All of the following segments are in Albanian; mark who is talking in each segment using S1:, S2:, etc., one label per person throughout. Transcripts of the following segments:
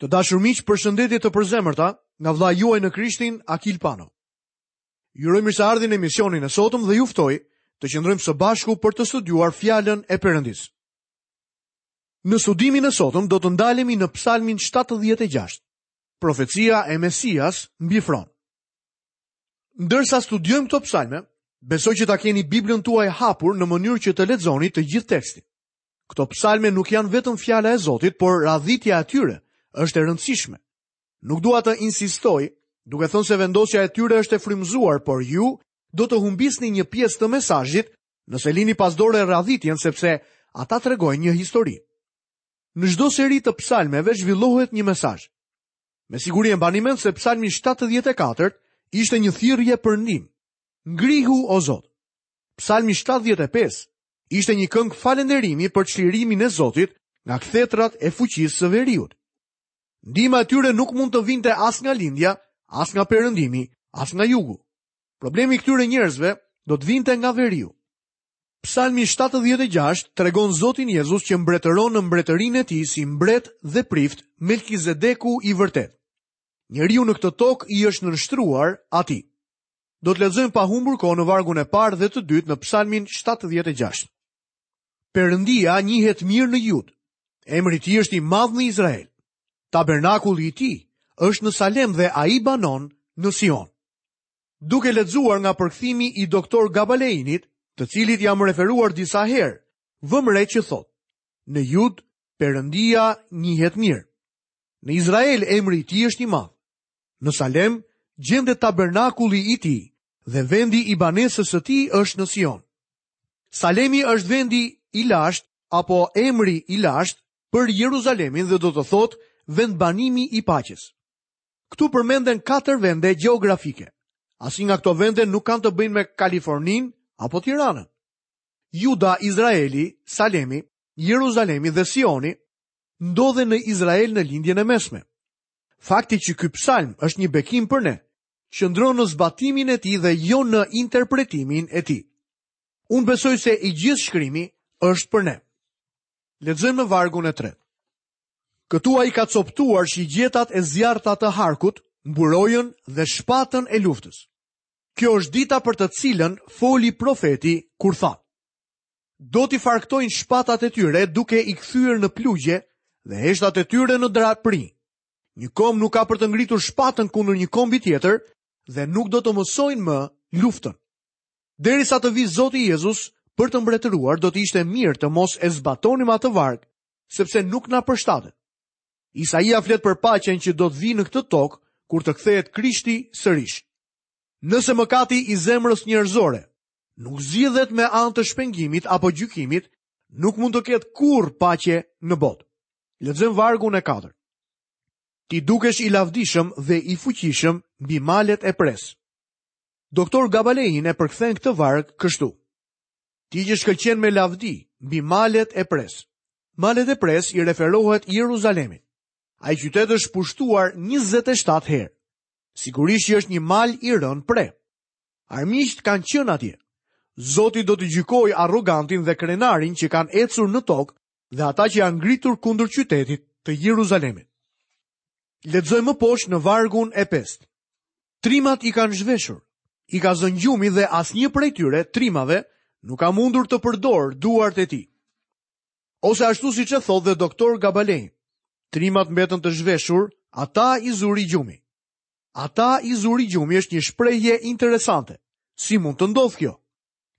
S1: Të dashur miq, përshëndetje të përzemërta nga vëllai juaj në Krishtin, Akil Pano. Ju uroj mirëseardhjen në emisionin e sotëm dhe ju ftoj të qëndrojmë së bashku për të studiuar fjalën e Perëndisë. Në studimin e sotëm do të ndalemi në Psalmin 76, profecia e Mesias mbi fron. Ndërsa studiojmë këto psalme, besoj që ta keni Biblën tuaj hapur në mënyrë që të lexoni të gjithë tekstin. Këto psalme nuk janë vetëm fjala e Zotit, por radhitja e tyre është e rëndësishme. Nuk dua të insistoj, duke thënë se vendosja e tyre është e frymëzuar, por ju do të humbisni një pjesë të mesazhit nëse lini pas dore radhitjen sepse ata tregojnë një histori. Në çdo seri të psalmeve zhvillohet një mesazh. Me siguri e mbani mend se psalmi 74 ishte një thirrje për ndihmë. Ngrihu o Zot. Psalmi 75 ishte një këngë falënderimi për çlirimin e Zotit nga kthetrat e fuqisë së veriut. Ndihma e tyre nuk mund të vinte as nga lindja, as nga perëndimi, as nga jugu. Problemi i këtyre njerëzve do të vinte nga veriu. Psalmi 76 tregon Zotin Jezus që mbretëron në mbretërinë e tij si mbret dhe prift Melkizedeku i vërtetë. Njeriu në këtë tokë i është nënshtruar atij. Do të lexojmë pa humbur kohë në vargun e parë dhe të dytë në Psalmin 76. Perëndia njihet mirë në Judë. Emri i tij është i madh në Izrael. Tabernakulli i tij është në Salem dhe ai banon në Sion. Duke lexuar nga përkthimi i doktor Gabaleinit, të cilit jam referuar disa herë, vëmë re që thotë: Në Judë Perëndia njihet mirë. Në Izrael emri i tij është i madh. Në Salem gjendet tabernakulli i tij dhe vendi i banesës së tij është në Sion. Salemi është vendi i lashtë apo emri i lashtë për Jeruzalemin dhe do të thotë vendbanimi i paqes. Këtu përmenden katër vende gjeografike. Asnjë nga këto vende nuk kanë të bëjnë me Kaliforninë apo Tiranën. Juda, Izraeli, Salemi, Jeruzalemi dhe Sioni ndodhen në Izrael në Lindjen e Mesme. Fakti që ky psalm është një bekim për ne, qëndron në zbatimin e tij dhe jo në interpretimin e tij. Unë besoj se i gjithë shkrimi është për ne. Lexojmë në vargun e tretë. Këtu ai ka copëtuar shigjetat e zjarrta të harkut, mburojën dhe shpatën e luftës. Kjo është dita për të cilën foli profeti kur tha: Do t'i farkëtojnë shpatat e tyre duke i kthyer në plugje dhe heshtat e tyre në draprinj. Një komb nuk ka për të ngritur shpatën kundër një kombi tjetër dhe nuk do të mësojnë më luftën. Derisa të vijë Zoti Jezus për të mbretëruar, do të ishte mirë të mos e zbatonim atë varg, sepse nuk na përshtatet. Isaia flet për paqen që do të vijë në këtë tokë kur të kthehet Krishti sërish. Nëse mëkati i zemrës njerëzore nuk zgjidhet me anë të shpengimit apo gjykimit, nuk mund të ketë kurrë paqe në botë. Lexojmë vargun e katërt. Ti dukesh i lavdishëm dhe i fuqishëm mbi malet e presë. Doktor Gabalein e përkthen këtë varg kështu. Ti që shkëlqen me lavdi mbi malet e presë. Malet e presë i referohet Jeruzalemit. Ai qytet është pushtuar 27 herë. Sigurisht që është një mal i rënë pre. Armiqtë kanë qenë atje. Zoti do të gjykojë arrogantin dhe krenarin që kanë ecur në tokë dhe ata që janë ngritur kundër qytetit të Jeruzalemit. Lexojmë më poshtë në vargun e pestë. Trimat i kanë zhveshur, i ka zënë gjumi dhe asnjë prej tyre, trimave, nuk ka mundur të përdorë duart e tij. Ose ashtu siç e thotë dhe doktor Gabalein, trimat mbetën të zhveshur, ata i zuri gjumi. Ata i zuri gjumi është një shprehje interesante. Si mund të ndodhë kjo?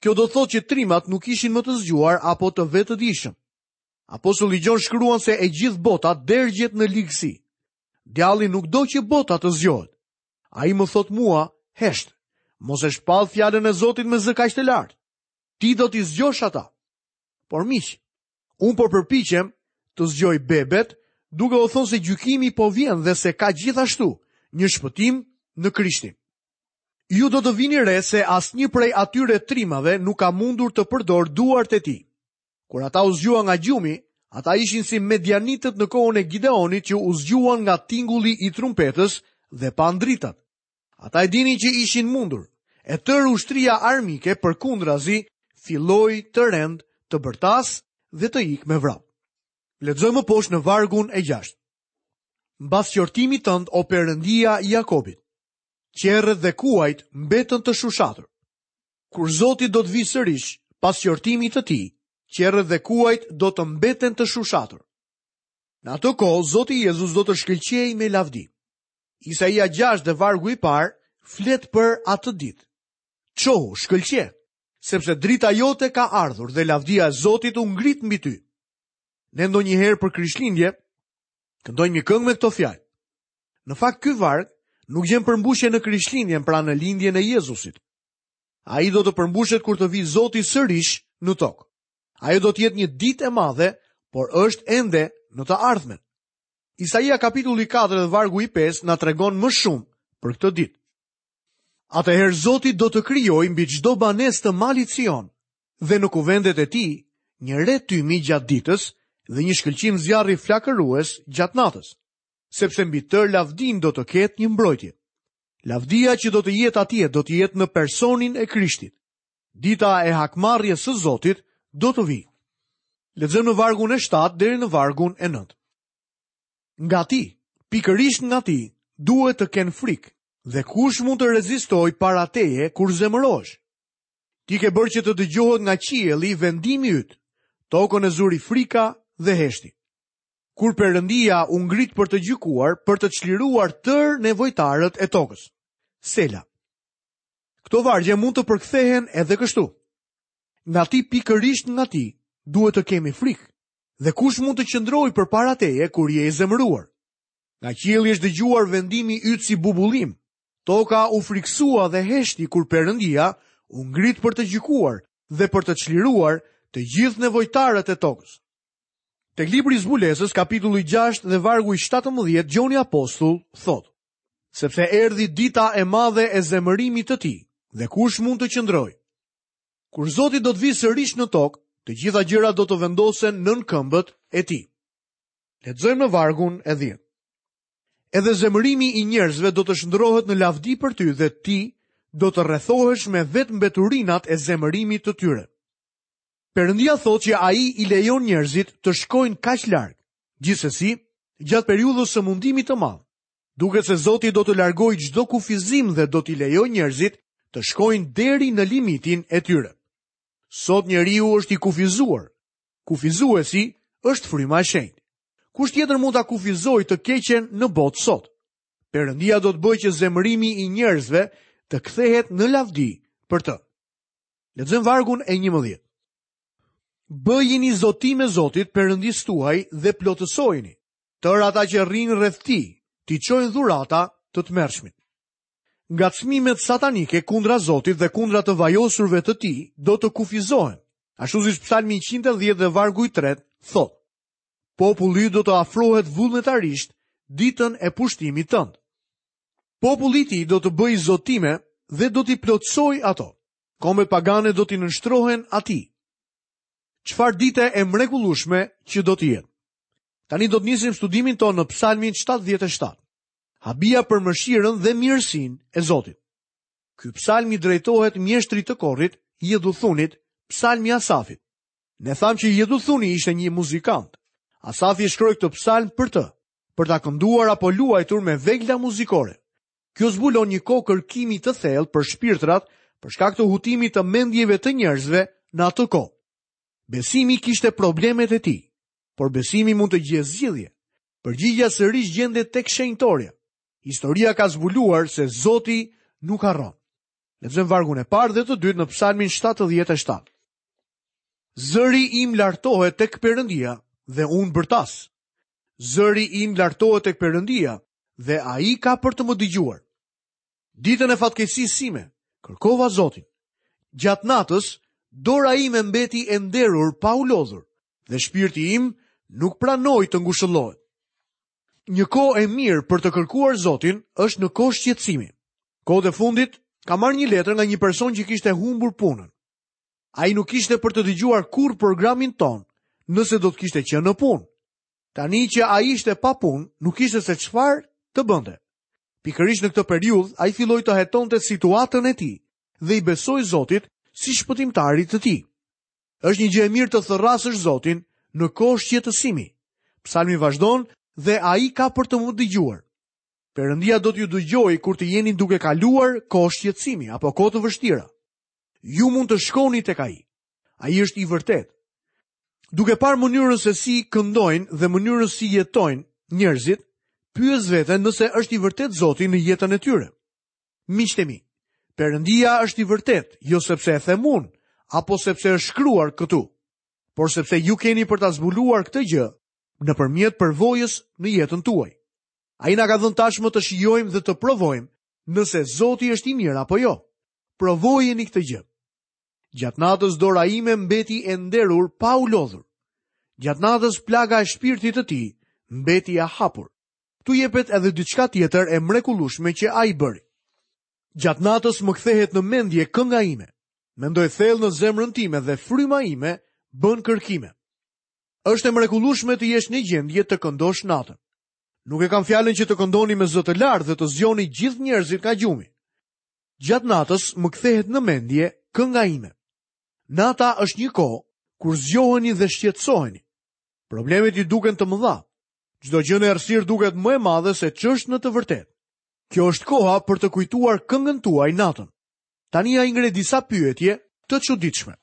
S1: Kjo do të thotë që trimat nuk ishin më të zgjuar apo të vetëdijshëm. Apostulli Gjon shkruan se e gjithë bota dergjet në ligësi. Djalli nuk do që bota të zgjohet. Ai më thotë mua, hesht, mos e shpall fjalën e Zotit me zë kaq të lartë. Ti do t'i zgjosh ata. Por miq, Unë po përpiqem të zgjoj bebet, duke u thënë se gjykimi po vjen dhe se ka gjithashtu një shpëtim në Krishtin. Ju do të vini re se asnjë prej atyre trimave nuk ka mundur të përdorë duart e tij. Kur ata u zgjuan nga gjumi, ata ishin si medianitët në kohën e Gideonit që u zgjuan nga tingulli i trumpetës dhe panë dritat. Ata e dinin që ishin mundur. E tërë ushtria armike përkundrazi filloi të rendë, të bërtasë dhe të ikë me vrap. Lexojmë më poshtë në vargun e gjashtë. Mbas qortimit tënd o Perëndia i Jakobit. Qerret dhe kuajt mbetën të shushatur. Kur Zoti do të vijë sërish, pas qortimit të tij, qerret dhe kuajt do të mbeten të shushatur. Në atë kohë, Zoti Jezus do të shkëlqejë me lavdi. Isaia 6 dhe vargu i parë flet për atë ditë. Çohu, shkëlqe, sepse drita jote ka ardhur dhe lavdia e Zotit u ngrit mbi ty. Ne ndonjëherë për Krishtlindje këndojmë një këngë me këto fjalë. Në fakt ky varg nuk gjen përmbushje në Krishtlindjen, pra në lindjen e Jezusit. Ai do të përmbushet kur të vijë Zoti sërish në tokë. Ajo do të jetë një ditë e madhe, por është ende në të ardhmen. Isaia kapitulli 4 dhe vargu i 5 na tregon më shumë për këtë ditë. Atëherë Zoti do të krijojë mbi çdo banesë të malit Sion dhe në kuvendet e tij një re tymi gjatë ditës dhe një shkëlqim zjarri flakërues gjatë natës, sepse mbi tërë lavdinë do të ketë një mbrojtje. Lavdia që do të jetë atje do të jetë në personin e Krishtit. Dita e hakmarrjes së Zotit do të vijë. Lexojmë në vargun e 7 deri në vargun e 9. Nga ti, pikërisht nga ti, duhet të kenë frikë, dhe kush mund të rezistojë para teje kur zemërohesh? Ti ke bërë që të dëgjohet nga qielli vendimi yt, tokën e zuri frika dhe heshti. Kur Perëndia u ngrit për të gjykuar, për të çliruar tërë nevojtarët e tokës. Sela. Këto vargje mund të përkthehen edhe kështu. Nga ti pikërisht nga ti, duhet të kemi frikë. Dhe kush mund të qëndrojë përpara teje kur je i zemëruar? Nga qielli është dëgjuar vendimi yt si bubullimë. Toka u frikësua dhe heshti kur Perëndia u ngrit për të gjykuar dhe për të çliruar të gjithë nevojtarët e tokës. Tek libri i Zbulesës, kapitulli 6 dhe vargu i 17, Gjoni Apostull thotë: Sepse erdhi dita e madhe e zemërimit të tij, dhe kush mund të qëndrojë? Kur Zoti do të vijë sërish në tokë, të gjitha gjërat do të vendosen nën këmbët e tij. Lexojmë në vargun e 10. Edhe zemërimi i njerëzve do të shndërrohet në lavdi për ty dhe ti do të rrethohesh me vetë mbeturinat e zemërimit të tyre. Perëndia thotë që ai i lejon njerëzit të shkojnë kaq larg. Gjithsesi, gjatë periudhës së mundimit të madh, duket se Zoti do të largojë çdo kufizim dhe do t'i lejojë njerëzit të shkojnë deri në limitin e tyre. Sot njeriu është i kufizuar. Kufizuesi është fryma e shenjtë. Kush tjetër mund ta kufizojë të keqen në botë sot? Perëndia do të bëjë që zemërimi i njerëzve të kthehet në lavdi për të. Lexojmë vargun e 11. Bëjini zotime Zotit Perëndisë tuaj dhe plotësojini. Tërë ata që rrinë rreth tij, t'i çojnë dhurata të tmerrshmit. Ngacmimet satanike kundra Zotit dhe kundra të vajosurve të tij do të kufizohen. Ashtu siç Psalmi 110 dhe vargu i tretë thotë. Populli do të afrohet vullnetarisht ditën e pushtimit tënd. Populli i tij do të bëjë zotime dhe do t'i plotësojë ato. Kombet pagane do t'i nënshtrohen atij. Çfarë dite e mrekullueshme që do të jetë. Tani do të nisim studimin tonë në Psalmin 77. Habia për mëshirën dhe mirësinë e Zotit. Ky psalm i drejtohet mjeshtrit të korit, Jeduthunit, psalm i Asafit. Ne thamë që Jeduthuni ishte një muzikant. Asafi e shkroi këtë psalm për të, për ta kënduar apo luajtur me vegla muzikore. Kjo zbulon një kohë kërkimi të thellë për shpirtrat për shkak të hutimit të mendjeve të njerëzve në atë kohë. Besimi kishte problemet e tij, por besimi mund të gjejë zgjidhje. Përgjigja sërish gjendet tek shenjtorja. Historia ka zbuluar se Zoti nuk harron. Lexojmë vargun e parë dhe të dytë në Psalmin 77. Zëri im lartohet tek Perëndia dhe unë bërtas. Zëri im lartohet tek Perëndia dhe ai ka për të më dëgjuar. Ditën e fatkeqësisë sime, kërkova Zotin. Gjatë natës, dora ime mbeti e nderur pa u lodhur dhe shpirti im nuk pranoi të ngushëllohet. Një kohë e mirë për të kërkuar Zotin është në kohë shqetësimi. Kohët e fundit kam marrë një letër nga një person që kishte humbur punën. Ai nuk kishte për të dëgjuar kurrë programin tonë, nëse do të kishte qenë në punë. Tani që ai ishte pa punë, nuk kishte se çfarë të bënte. Pikërisht në këtë periudhë, ai filloi të hetonte situatën e tij dhe i besoi Zotit si shpëtimtarit të tij. Është një gjë e mirë të thërrasësh Zotin në kohë shqetësimi. Psalmi vazhdon. dhe ai ka për të më dëgjuar. Perëndia do t'ju dëgjojë kur të jeni duke kaluar kohë shqetësimi apo kohë të vështira. Ju mund të shkoni tek ai. Ai është i vërtetë. Duke parë mënyrën se si këndojnë dhe mënyrën si jetojnë njerëzit, pyes veten nëse është i vërtetë Zoti në jetën e tyre. Miqtë e mi, Perëndia është i vërtetë, jo sepse e them unë, apo sepse është shkruar këtu, por sepse ju keni për ta zbuluar këtë gjë nëpërmjet përvojës në jetën tuaj. Ai na ka dhënë tashmë të shijojmë dhe të provojmë nëse Zoti është i mirë apo jo. Provojeni këtë gjë. Gjatë natës dora ime mbeti e nderur pa u lodhur. Gjatë natës plaga e shpirtit të tij mbeti e hapur. Këtu jepet edhe diçka tjetër e mrekullueshme që ai bëri. Gjatë natës më kthehet në mendje kënga ime. Mendoj thellë në zemrën time dhe fryma ime bën kërkime. Është e mrekullueshme të jesh në gjendje të këndosh natën. Nuk e kam fjalën që të këndoni me zë të lartë dhe të zgjoni gjithë njerëzit nga gjumi. Gjatë natës më kthehet në mendje kënga ime. Nata është një kohë kur zgjoheni dhe shqetësoheni. Problemet ju duken të mëdha. Çdo gjë në errësirë duket më e madhe se ç'është në të vërtetë. Kjo është koha për të kujtuar këngën tuaj natën. Tani ai ngre disa pyetje të çuditshme.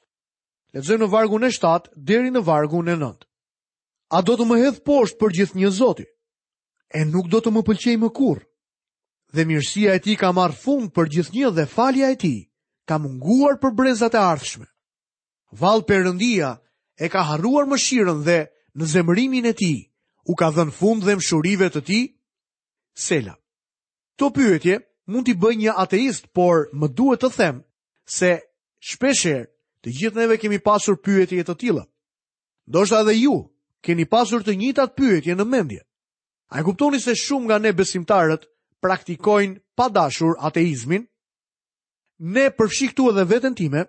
S1: Lexojmë në vargun e 7 deri në vargun e 9. A do të më hedhë poshtë përgjithnjë Zoti? E nuk do të më pëlqejë më kurrë. Dhe mirësia e tij ka marrë fund përgjithnjë dhe falja e tij ka munguar për brezat e ardhshme. Vallë Perëndia e ka harruar mëshirën dhe në zemërimin e tij u ka dhënë fund dhembshurive të tij? Sela. Këto pyetje mund t'i bëjë një ateist, por më duhet të them se shpeshherë të gjithë neve kemi pasur pyetje të tilla. Ndoshta edhe ju keni pasur të njëjtat pyetje në mendje. A e kuptoni se shumë nga ne besimtarët praktikojnë pa dashur ateizmin? Ne përfshi këtu edhe veten time,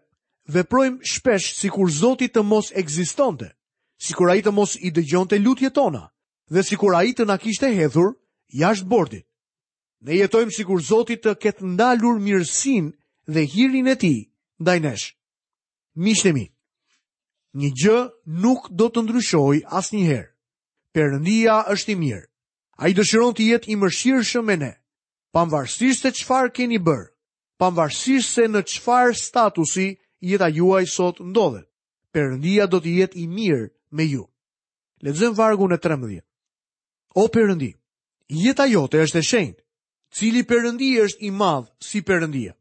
S1: veprojmë shpesh sikur Zoti të mos ekzistonte, sikur ai të mos i dëgjonte lutjet tona dhe sikur ai të na kishte hedhur jashtë bordit. Ne jetojmë sikur Zoti të ketë ndalur mirësinë dhe hirin e tij ndaj nesh. Miqtë e mi, një gjë nuk do të ndryshojë asnjëherë. Perëndia është i mirë. Ai dëshiron të jetë i mëshirshëm me ne, pavarësisht se çfarë keni bërë, pavarësisht se në çfarë statusi jeta juaj sot ndodhet. Perëndia do të jetë i mirë me ju. Lexojmë vargun e 13. O Perëndi, jeta jote është e shenjtë. Cili Perëndi është i madh si Perëndia?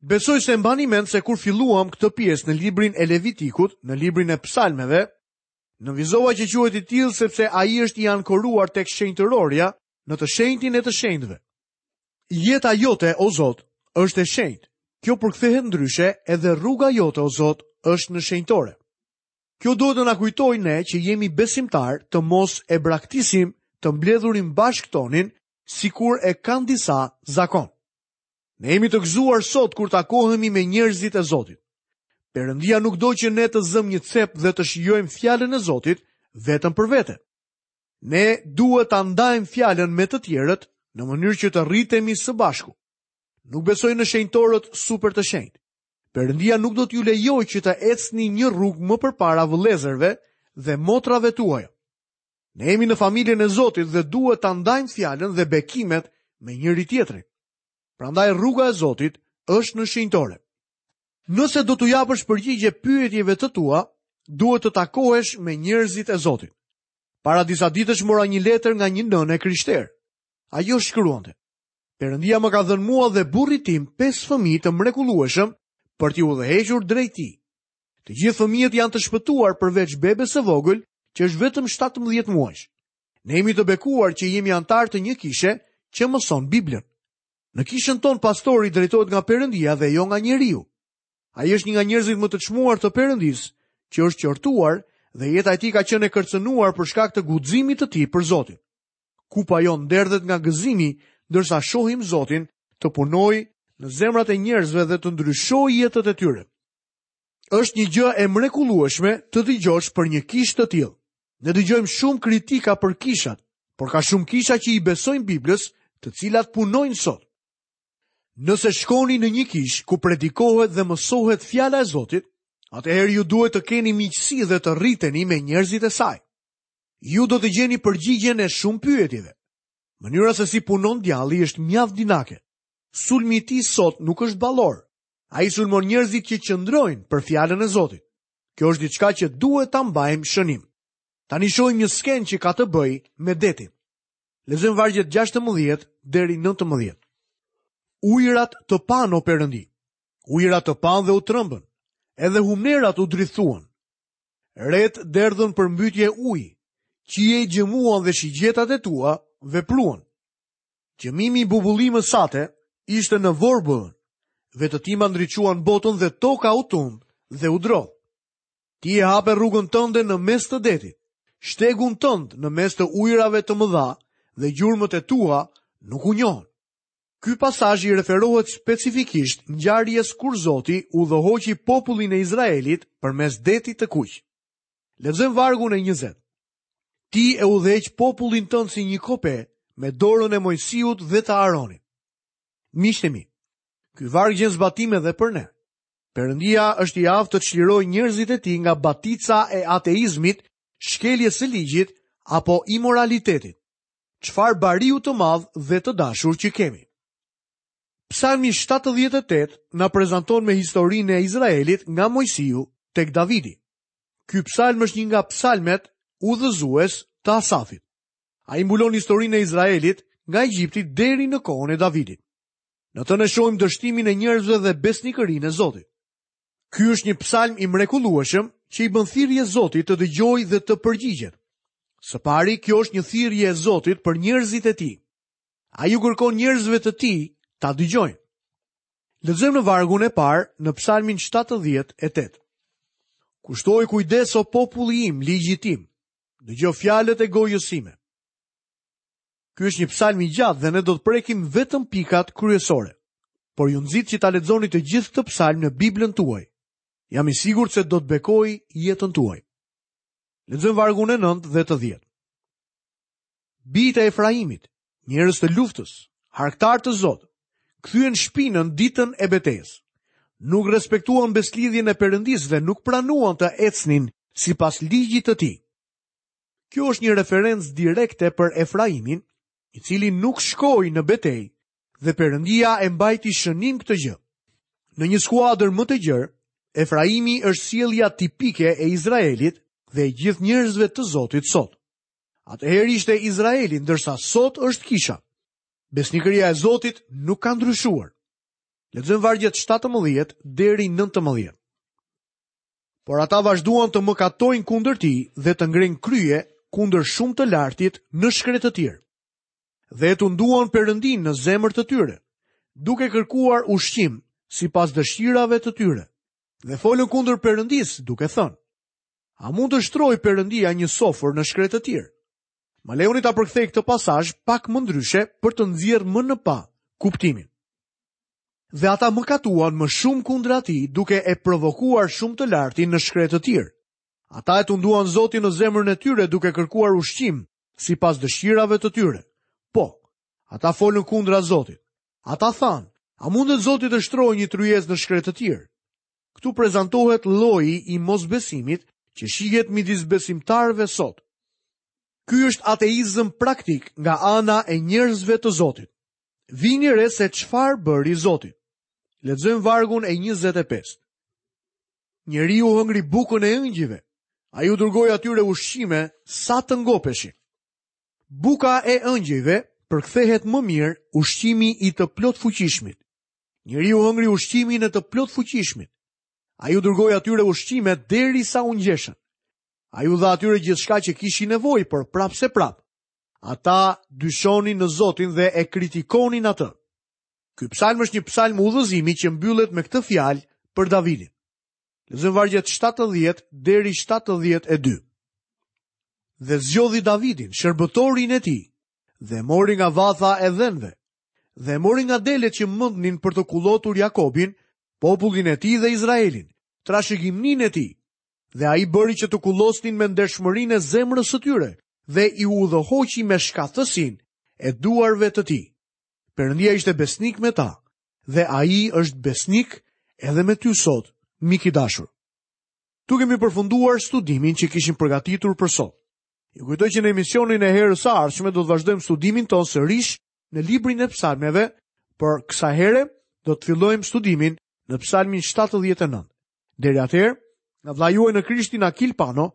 S1: Besoj se mbani mend se kur filluam këtë pjesë në librin e Levitikut, në librin e Psalmeve, nënvizova që quhet i tillë sepse ai është i ankoruar tek shenjtërorja në të shenjtin e të shenjtëve. Jeta jote, o Zot, është e shenjtë. Kjo përkthehet ndryshe, edhe rruga jote, o Zot, është në shenjtore. Kjo duhet të na kujtojë ne që jemi besimtarë të mos e braktisim të mbledhurin bashkë tonin, sikur e kanë disa zakon. Ne jemi të gëzuar sot kur takohemi me njerëzit e Zotit. Perëndia nuk do që ne të zëmë një cep dhe të shijojmë fjalën e Zotit vetëm për vete. Ne duhet ta ndajmë fjalën me të tjerët në mënyrë që të rritemi së bashku. Nuk besoj në shenjtorët super të shenjtë. Perëndia nuk do t'ju lejojë që të ecni një rrugë më përpara vëllezërve dhe motrave tuaja. Ne jemi në familjen e Zotit dhe duhet ta ndajmë fjalën dhe bekimet me njëri-tjetrin. Prandaj rruga e Zotit është në shenjtore. Nëse do t'u japësh përgjigje pyetjeve të tua, duhet të takohesh me njerëzit e Zotit. Para disa ditësh mora një letër nga një nënë e krishterë. Ajo shkruante: Perëndia më ka dhënë mua dhe burrit tim pesë fëmijë të mrekullueshëm për t'i udhëhequr drejt tij. Të gjithë fëmijët janë të shpëtuar përveç bebes së vogël që është vetëm 17 muajsh. Ne jemi të bekuar që jemi anëtarë të një kishe që mëson Biblën. Në kishën tonë pastori drejtohet nga Perëndia dhe jo nga njeriu. Ai është një nga njerëzit më të çmuar të Perëndisë, që është qortuar dhe jeta e tij ka qenë e kërcënuar për shkak të guximit të tij për Zotin. Kupa jonë derdhet nga gëzimi ndërsa shohim Zotin të punojë në zemrat e njerëzve dhe të ndryshojë jetët e tyre. Është një gjë e mrekullueshme të dëgjosh për një kishë të tillë. Ne dëgjojmë shumë kritika për kishat, por ka shumë kisha që i besojnë Biblës, të cilat punojnë sot. Nëse shkoni në një kishë ku predikohet dhe mësohet fjala e Zotit, atëherë ju duhet të keni miqësi dhe të rriteni me njerëzit e saj. Ju do të gjeni përgjigjen e shumë pyetjeve. Mënyra se si punon djalli është mjaft dinake. Sulmi i tij sot nuk është ballor. Ai sulmon njerëzit që qëndrojnë për fjalën e Zotit. Kjo është diçka që duhet ta mbajmë shënim. Tani shohim një skenë që ka të bëjë me detin. Lexojmë vargjet 16 deri 19. Ujërat të panë o Perëndi. Ujërat të panë dhe u trembën. Edhe humnerat u drithtuan. Retë derdhën përmbytje uji. Qiejt gjëmuan dhe shigjetat e tua vepruan. Gjëmimi i bubullimës sate ishte në vorbullën. Vetëtima ndriçuan botën dhe toka u tund dhe u drodh. Ti e hape rrugën tënde në mes të detit, shtegun tënd në mes të ujërave të mëdha dhe gjurmët e tua nuk u njohën. Ky pasazh i referohet specifikisht ngjarjes kur Zoti udhëhoqi popullin e Izraelit përmes detit të Kuq. Lexojmë vargun e 20. Ti e udhëheq popullin tënd si një kope me dorën e Moisiut dhe të Aronit. Miqtë e mi, ky varg gjen zbatim edhe për ne. Perëndia është i aftë të çlirojë njerëzit e tij nga batica e ateizmit, shkeljes së ligjit apo imoralitetit. Çfarë bariu të madh dhe të dashur që kemi. Psalmi 78 na prezanton me historinë e Izraelit nga Moisiu tek Davidi. Ky psalm është një nga psalmet udhëzues të Asafit. Ai mbulon historinë e Izraelit nga Egjipti deri në kohën e Davidit. Në të ne shohim dështimin e njerëzve dhe besnikërinë e Zotit. Ky është një psalm i mrekullueshëm që i bën thirrje Zotit të dëgjojë dhe të përgjigjet. Së pari, kjo është një thirrje e Zotit për njerëzit e tij. Ai u kërkon njerëzve të tij ta dëgjojnë. Lexojmë në vargun e parë në psalmin 78. Kushtoji kujdes o populli im, ligjit tim. Dëgjo fjalët e gojës sime. Ky është një psalm i gjatë dhe ne do të prekim vetëm pikat kryesore. Por ju nxit që ta lexoni të gjithë këtë psalm në Biblën tuaj. Jam i sigurt se do të bekojë jetën tuaj. Lexojmë vargun e 9 dhe të 10. Bijtë e Efraimit, njerëz të luftës, harktarë të zotë, kthyen shpinën ditën e betejës. Nuk respektuan besëlidhjen e Perëndisë dhe nuk pranuan të ecnin sipas ligjit të tij. Kjo është një referencë direkte për Efraimin, i cili nuk shkoi në betejë dhe Perëndia e mbajti shënim këtë gjë. Në një skuadër më të gjerë, Efraimi është sjellja tipike e Izraelit dhe e gjithë njerëzve të Zotit sot. Atëherë ishte Izraeli, ndërsa sot është kisha. Besnikëria e Zotit nuk ka ndryshuar. Lexojmë vargjet 17 deri 19. Por ata vazhduan të mëkatojnë kundër tij dhe të ngrenë krye kundër shumë të lartit në shkretëtirë. Dhe e tunduan Perëndinë në zemër të tyre, duke kërkuar ushqim sipas dëshirave të tyre. Dhe folën kundër Perëndisë, duke thënë: A mund të shtrojë Perëndia një sofër në shkretëtirë? Më lejoni ta përkthej këtë pasazh pak më ndryshe për të nxjerrë më në pah kuptimin. Dhe ata mëkatuan më shumë kundra tij duke e provokuar shumë të lartin në shkretëtirë. Ata e tunduan Zotin në zemrën e tyre duke kërkuar ushqim sipas dëshirave të tyre. Po, ata folën kundra Zotit. Ata thanë, a mundet Zoti të shtrojë një tryezë në shkretëtirë? Këtu prezantohet lloji i mosbesimit që shihet midis besimtarëve sot. Ky është ateizëm praktik nga ana e njerëzve të Zotit. Vini re se çfarë bëri Zoti. Lexojmë vargun e 25. Njeriu hëngri bukën e engjëjve. Ai u dërgoi atyre ushqime sa të ngopeshin. Buka e engjëjve përkthehet më mirë ushqimi i të plotfuqishmit. Njeriu hëngri ushqimin e të plotfuqishmit. Ai u dërgoi atyre ushqime derisa u ngjeshën. Ai u dha atyre gjithçka që kishin nevojë, por prapëseprapë. Ata dyshonin në Zotin dhe e kritikonin atë. Ky psalm është një psalm udhëzimi që mbyllet me këtë fjalë për Davidin. Lexojmë vargjet 70 deri 72. Dhe zgjodhi Davidin, shërbëtorin e tij, dhe e mori nga vatha e dhenve, dhe e mori nga delet që mëndnin për të kullotur Jakobin, popullin e tij dhe Izraelin, trashëgimninë e tij. Dhe ai bëri që të kullosnin me ndershmërinë e zemrës së tyre dhe i udhëhoqi me shkathtësinë e duarve të tij. Perëndia ishte besnik me ta dhe ai është besnik edhe me ty sot, mik i dashur. Këtu kemi përfunduar studimin që kishim përgatitur për sot. Ju kujtoj që në emisionin e herës së ardhshme do të vazhdojmë studimin tonë sërish në librin e psalmeve, por kësaj here do të fillojmë studimin në psalmin 79. Deri atëherë, nga vëllai juaj në Krishtin Akil Pano,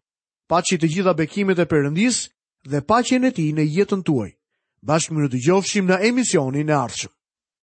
S1: paçi të gjitha bekimet e Perëndisë dhe paqen e tij në jetën tuaj. Bashkë mirudëgjofshim në emisionin e ardhshëm.